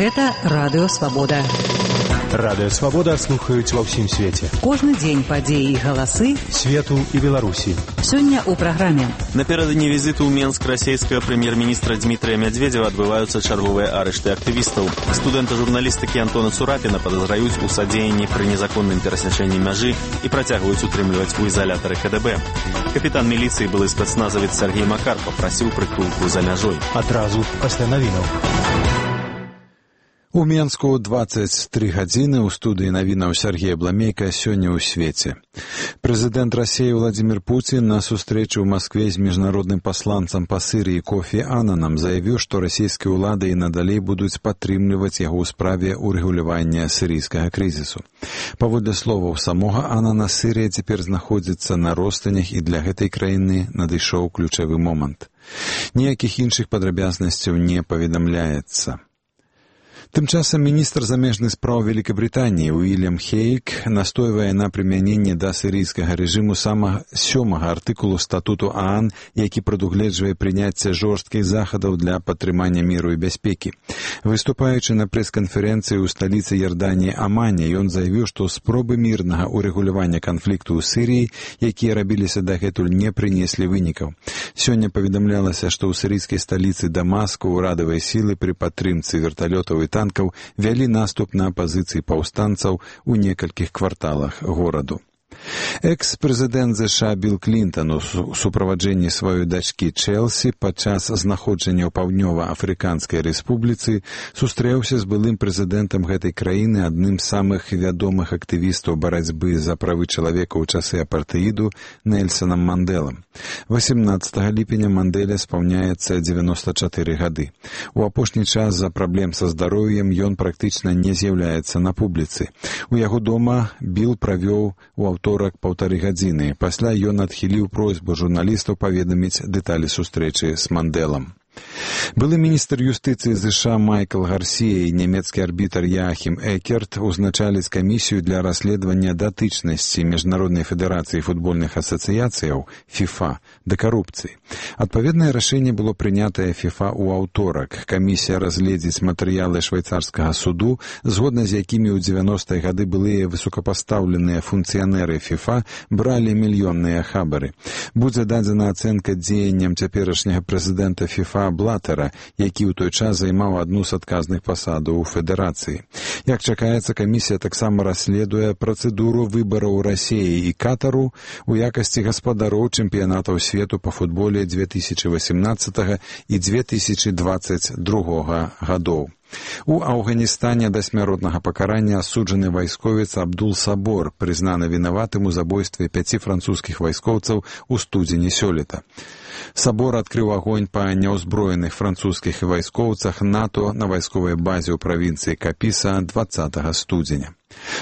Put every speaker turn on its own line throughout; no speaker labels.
Гэта Радыё Свабода.
Радыё Свабода слухаюць ва ўсім свеце.
Кожны дзень падзеі і галасы
свету і Беларусі.
Сёння ў праграме.
Наперададні візіту ў Менск расійскага прэм'ер-міністра Дмітрия Медведева адбываюцца чарговыя арышты актывістаў. Студэнта журналістыкі Антона Цурапіна падазраюць у садзеянні пры незаконным перасячэнні мяжы і працягваюць утрымліваць у ізалятары КДБ. Капітан міліцыі, былы спецназавец Сергей Макар, папрасіў прытулку за мяжой.
Адразу пасля навінаў.
У Менску 23 гадзіны ў студыі навінаў Сергея Бламейка сёння ў свеце. Прэзідэнт Расіі Владзімір Пуцін на сустрэчы ў Маскве з міжнародным пасланцам па Сірыі Кофі Аннанам заявіў, што расійскія ўлады і надалей будуць падтрымліваць яго ў справе урэгулявання сірыйскага крызісу. Паводле словаў самога Аннана, Сірыя цяпер знаходзіцца на ростанях, і для гэтай краіны надышоў ключавы момант. Ніякіх іншых падрабязнасцяў не паведамляецца. Тым часам міністр замежных спраў Великабрытаніі Уильям Хейк настойвае на прымяненні да сірыйскага рэжыму самага 7-га артыкулу статуту ААН, які прадугледжвае прыняцце жорсткіх захадаў для падтрымання міру і бяспекі. Выступаючы на прэс-канферэнцыі ў сталіцы Ярданіі Амане, ён заявіў, што спробы мірнага ўрэгулявання канфлікту ў Сірыі, якія рабіліся дагэтуль, не прынеслі вынікаў. Сёння паведамлялася, што ў сірыйскай сталіцы Дамаску ўрадавыя сілы пры падтрымцы верталётаў і танкаў вялі наступ на пазіцыі паўстанцаў у некалькіх кварталах гораду. Экс-прэзідэнт ЗША Білл Клінтан у суправаджэнні сваёй дачкі Чэлсі падчас знаходжання ў Паўднёва-Афрыканскай рэспубліцы сустрэўся з былым прэзідэнтам гэтай краіны, адным з самых вядомых актывістаў барацьбы за правы чалавека ў часы апартэіду Нельсанам Мандэлам. 18 ліпеня Мандэля спаўняецца 94 гады. У апошні час з-за праблем са здароўем ён практычна не з'яўляецца на публіцы. У яго дома Білл правёў у аўторак 1,5 гадзіны. Пасля ён адхіліў просьбу журналістаў паведаміць дэталі сустрэчы з Мандэлам. Былы міністр юстыцыі ЗША Майкл Гарсія і нямецкі арбітр Яахім Экерт узначаліць камісію для расследавання датычнасці Міжнароднай федэрацыі футбольных асацыяцыяў ФІФА да карупцыі. Адпаведнае рашэнне было прынятае ФІФА ў аўторак. Камісія разгледзіць матэрыялы швейцарскага суду, згодна з якімі ў 90-е гады былыя высокапастаўленыя функцыянеры ФІФА бралі мільённыя хабары. Будзе дадзена ацэнка дзеянням цяперашняга прэзідэнта ФІФА Блатера, які ў той час займаў адну з адказных пасадаў у федэрацыі. Як чакаецца, камісія таксама расследуе працэдуру выбараў Расіі і Катару у якасці гаспадароў чэмпіянатаў свету па футболе 2018 і 2022 гадоў. У Афганістане да смяротнага пакарання асуджаны вайсковец Абдул Сабор, прызнаны вінаватым у забойстве 5 французскіх вайскоўцаў у студзені сёлета. Сабор адкрыў агонь па няўзброеных французскіх вайскоўцах НАТО на вайсковай базе ў правінцыі Капіса 20 студзеня.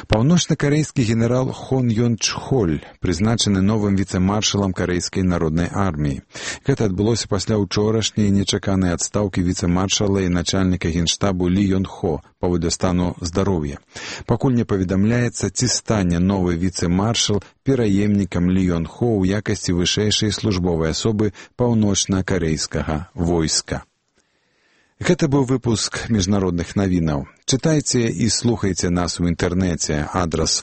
Паўночна-карэйскі генерал Хон Ён Чхоль прызначаны новым віцэ-маршалам карэйскай народнай арміі. Гэта адбылося пасля ўчорашняй нечаканай адстаўкі віцэ-маршала і начальніка генштабу Лі Ён Хо паводле стану здароўя. Пакуль не паведамляецца, ці стане новы віцэ-маршал пераемнікам Лі Ён Хо ў якасці вышэйшай службовай асобы паўночна-карэйскага войска. Гэта быў выпуск міжнародных навінаў. Чытайце і слухайце нас у інтэрнэце. Адрас